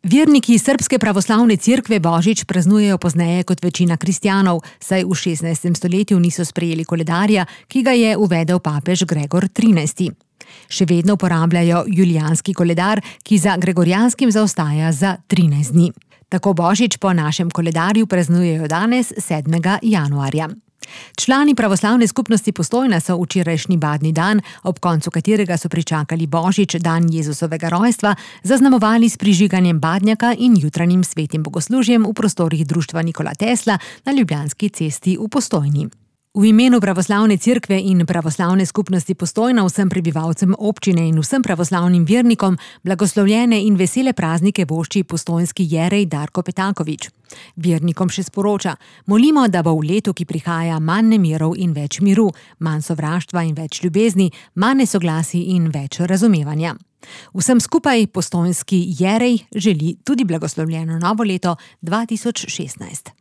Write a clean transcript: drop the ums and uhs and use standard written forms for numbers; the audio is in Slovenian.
Verniki Srbske pravoslavne cerkve Božič praznujejo pozneje kot večina kristjanov, saj v 16. stoletju niso sprejeli koledarja, ki ga je uvedel papež Gregor XIII. Še vedno uporabljajo julijanski koledar, ki za gregorjanskim zaostaja za 13 dni. Tako Božič po našem koledarju praznujejo danes 7. januarja. Člani pravoslavne skupnosti Postojna so včerajšnji badni dan, ob koncu katerega so pričakali Božič, dan Jezusovega rojstva, zaznamovali s prižiganjem badnjaka in jutranjim svetim bogoslužjem v prostorih društva Nikola Tesla na Ljubljanski cesti v Postojni. V imenu pravoslavne cerkve in pravoslavne skupnosti Postojna vsem prebivalcem občine in vsem pravoslavnim vernikom blagoslovljene in vesele praznike vošči postojnski jerej Darko Petaković. Vernikom še sporoča: molimo, da bo v letu, ki prihaja, manj nemirov in več miru, manj sovraštva in več ljubezni, manj nesoglasij in več razumevanja. Vsem skupaj postojnski jerej želi tudi blagoslovljeno novo leto 2016.